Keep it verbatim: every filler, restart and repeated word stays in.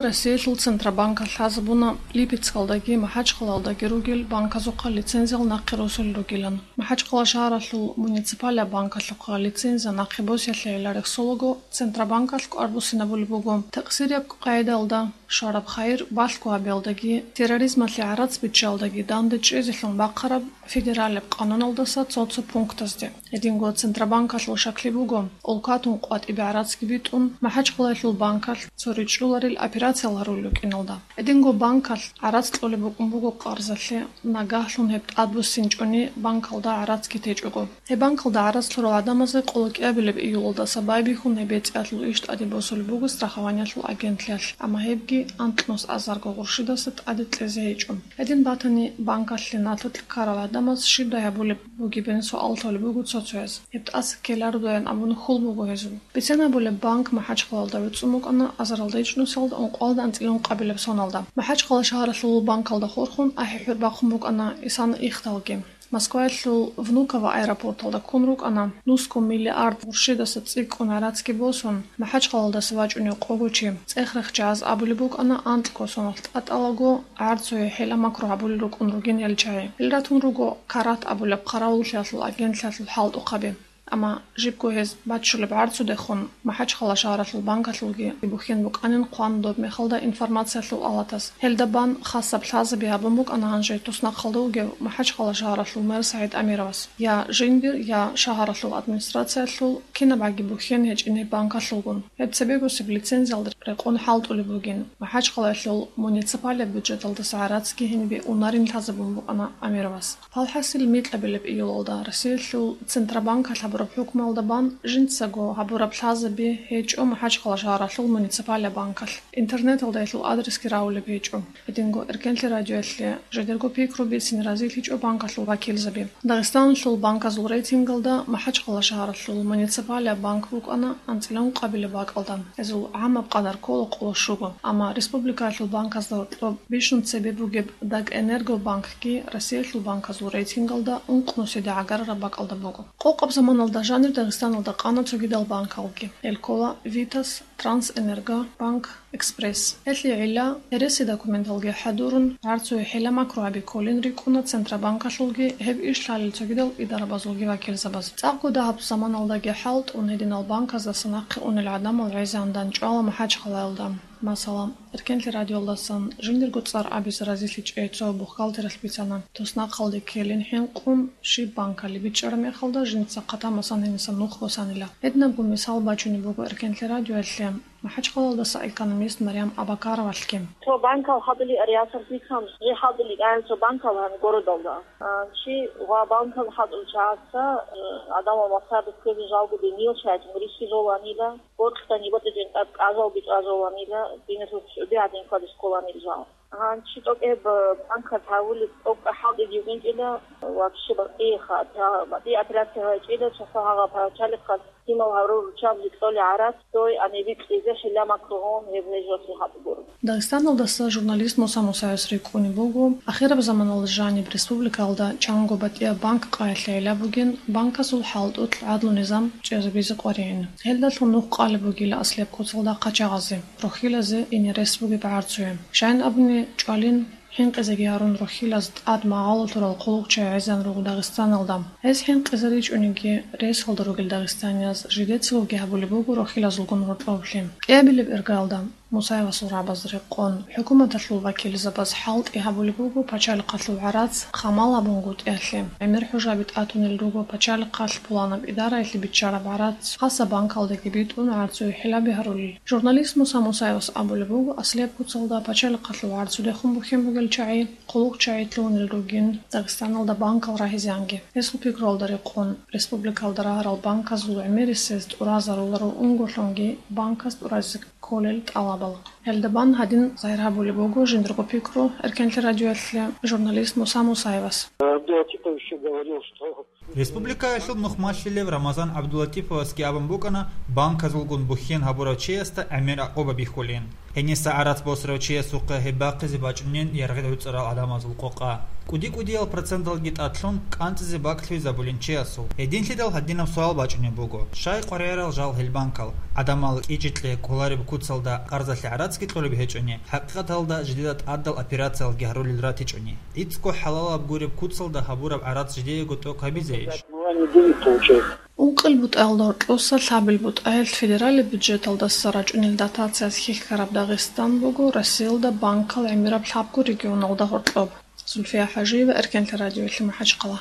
Россиялъул Центробанкалъ лъазабуна Липецкалдаги МахӀачхъалалдаги ругел банказухъа лицензиял нахъе росулел ругилан. МахӀачхъала шагьаралъул муниципалияб банкалъухъа лицензия нахъе босиялъе гӀеларихъ солаго Центробанкалъ кӀвар буссинабулеб буго. Такъсирияб къагӀидалда, шараб хайир балъго гьабиялдаги, терроризмалъе гӀарац биччалдаги данде чӀезелъун бахъараб федералияб къануналдаса цо-цо пунктазде. Гьединго Центробанкалъул шаклъи буго, улкатун къватӀибе гӀарацги битӀун, МахӀачхъалаялъул банкалъ цо ричӀчӀуларел операциял гьарулел рукӀиналда. Гьединго банкалъ гӀарац кьолеб букӀун буго къарзалъе, нагагьлъун гьеб тӀадбуссинчӀони банкалда гӀарацги течӀого. Гьеб банкалда гӀарац лъурал гӀадамазе къоло кӀиабилеб июлалдаса байбихьун гьеб бецӀиялъул иш тӀаде босулеб буго страхованиялъул агентлъиялъ, амма гьебги анкьнус азарго гъурщидаса тӀаде кьезе гьечӀо. Гьедин батани, банкалъе налъулъ ккарал гӀадамаз щибдай гьабулеб бугебин суал толеб буго цо-цояз. Гьеб тӀаса ккелародайин абун хьул буго гьезул. Бицен абулеб, банк МахӀачхъалалда гӀуцӀун букӀана азаралда ичӀнусиялда ункъоялда анцӀила ункъабилеб соналда. МахӀачхъала шагьаралъул банкалда хурхун ахӀи-хӀур бахъун букӀана исана ихдалги. Москваялъул Внуково аэропорталда ккун рукӀана нусго миллиард гъурщидаса цӀикӀкӀун гӀарацги босун, МахӀачхъалалдаса вачӀунев къого чи. ЦӀех-рехчаяз абулеб букӀана анкьго соналъ тӀатӀалаго гӀарцуе хӀила-макру гьабулел рукӀун ругин гьел чагӀи. Гьел ратун руго Карат абулеб хъаравуллъиялъул агентлъиялъул хӀалтӀухъаби. Амма жибго гьез баччулеб гӀарцудехун МахӀачхъала шагьаралъул банкалъулги бухьен букӀанин хъван доб мехалда информациялъул алатас. Гьелда бан хасаб лъазаби гьабун букӀана гьанже туснахъалда вугев МахӀачхъала шагьаралъул мэр СагӀид Амировас. Я жиндир, я шагьаралъул администрациялъул кинабгӀаги бухьен гьечӀин гьеб банкалъулгун. Гьеб цебегосеб лицензиялда рекъон хӀалтӀулеб бугин. МахӀачхъалаялъул муниципалияб бюджеталдаса гӀарацги гьенибе унарин лъазабун букӀана Амировас. Гьалхасил, микьабилеб июлалда Россиялъул Центробанкалъ гьабураб хӀукмуялда бан жинцаго гьабураб лъазаби гьечӀо МахӀачхъала шагьаралъул муниципалияб банкалъ. Интернеталда гьелъул адресги рагӀулеб гьечӀо. Гьединго Эркенлъи радиоялъе жидерго пикру бицин разилъичӀо банкалъул вакилзаби. Дагъистаналъул банказул рейтингалда МахӀачхъала шагьаралъул муниципалияб банк букӀана анцӀила ункъабилеб бакӀалда. Гьезул гӀамаб къадар ккола къоло щуго. Амма республикаялъул банказда гьоркьоб бищун цебе бугеб Дагэнергобанкги Россиялъул банказул рейтингалда ункънусиде гӀагарараб бакӀалда буго. Къокъаб заманалда жанир Дагъистаналда къана цогидал банкалги. Гьел ккола Витас, Трансэнергобанк, Экспресс. Гьелъие гӀилла, гьереси документалги хӀадурун, гӀарцуе хӀила-макру гьаби кколин рикӀкӀуна Центробанкалъулги гьеб иш лъалел цогидал идарабазулги вакилзабаз. ЦӀакъго дагьаб заманалдаги хӀалтӀун гьединал банказдаса нахъе унел гӀадамал гӀезегӀан дандчӀвала МахӀачхъалаялда. Масала, Эркенлъи радиоялдасан жиндирго цӀар абизе разилъичӀей цо бухгалтералъ бицана, туснахъалде ккелин хӀинкъун, щиб банкалъ бичӀчӀараб мехалда жинца хъатамасан гьениса нух босанила. Гьединабго мисал бачунеб буго Эркенлъи радиоялъе МахӀачхъалаялдаса экономист Марьям Абакаровалъги. Цо банкал хадули ариасар бицан, жи хадули гӀян цо банкал гьан городалда. А, чи ва банкал хадул чагӀаца, э, адамал масабиз ккезе жалго бенил шайчун риси жоланила. Борхьани батӀичин тӀад кӀажалги чӀажаланила, диназул чӀуди гӀадин квадис кколанил жал. Гьанчи тӀокӀеб банкат гьавулеб тӀокӀ хӀалтӀиги вукӀинчӀила, вообще батӀиеха, батӀи операция гьайчӀила, чаха гьагъа пачалихъас гьимал гьарурчаб жикьоли гӀарат, той анибикьизе хӀилла макругьун гьеб гьежоси гьаб гуро. Дагъистаналдаса журналист Муса Мусаевас рикӀкӀунеб буго, ахираб заманалда жаниб республикалда чанго батӀияб банк къайилъи гӀелаб бугин, банказул хӀалтӀулъ гӀадлу-низам чӀезабизе къваригӀин. Гьелдалъун нух къалеб бугила аслияб куцалда къачагъазе, рохьилазе ине рес бугеб гӀарцуе. Щайин абуни, чӀвалин, хӀинкъизеги гьарун рохьилаз тӀад магъало лъурал хъулухъчагӀи гӀезегӀан руго Дагъистаналда. Гьез хӀинкъизе ричӀониги, ресалда ругел дагъистанияз жидецаги гьабулеб буго рохьилазулгун гьоркьоблъи. КӀиабилеб иргаялда, Мусаевасул рагӀабаз рекъон, хӀукуматалъул вакилзабаз хӀалтӀи гьабулеб буго пачалихъалъул гӀарац хъамал гьабунгутӀиялъе. ГӀемер хӀужаби тӀатунел руго пачалихъалъ пуланаб идараялъе биччараб гӀарац, хасаб банкалдаги битӀун гӀарцуе хӀилаби гьарулел. Журналист Муса Мусаевас абулеб буго, аслияб куцалда пачалихъалъул гӀарцудехун бухьен бугел чагӀи, хъулухъчагӀи лъугьунел ругин Дагъистаналда банкал рагьизеанги. Гьесул пикруялда рекъон, республикалда рагьарал банказул гӀемерисез тӀуразаруларо унголъунги банказ тӀуразе кколел тӀалабал. Гьелда бан гьадин загьир гьабулеб буго жиндирго пикру Эркенлъи радиоялъе журналист Муса Мусаевас. Абдулатипов ещё говорил, что Республикаялъул нухмалъилев Рамазан ГӀабдулатиповасги абун букӀана банказулгун бухьен гьабурав чиясда гӀемер гӀакъуба бихьулин. Гьениса гӀарац босарав чиясухъе гьеб бахъизе бачӀунин яргъи гӀуцӀарал гӀадамазул къокъа. КӀуди-кӀудиял проценталги тӀадлъун кӀанцӀизе бакӀлъуйзабулин чиясул. Гьединлъидал гьадинаб суал бачӀунеб буго: щай къваригӀарал жал гьел банкал? ГӀадамал кӀичӀ-кье кколареб куцалда къарзалъе гӀарацги кьолеб гьечӀони, хӀакъикъаталда жидеда тӀадал операциялги гьарулел ратичӀони? ГӀицӀго хӀалалаб гуреб куцалда гьабураб гӀарац жидеего тӀокӀ гьабизе иш? Ункъил бутӀаялда гьоркьоса лъабил бутӀаялъ федералияб бюджеталдаса рачӀунел дотациялъ хьихьараб Дагъистан буго Россиялда банкал гӀемераб лъабго регионалда гьоркьоб. Зульфия ХӀажиева, Эркенлъа радиоялъе МахӀачхъала.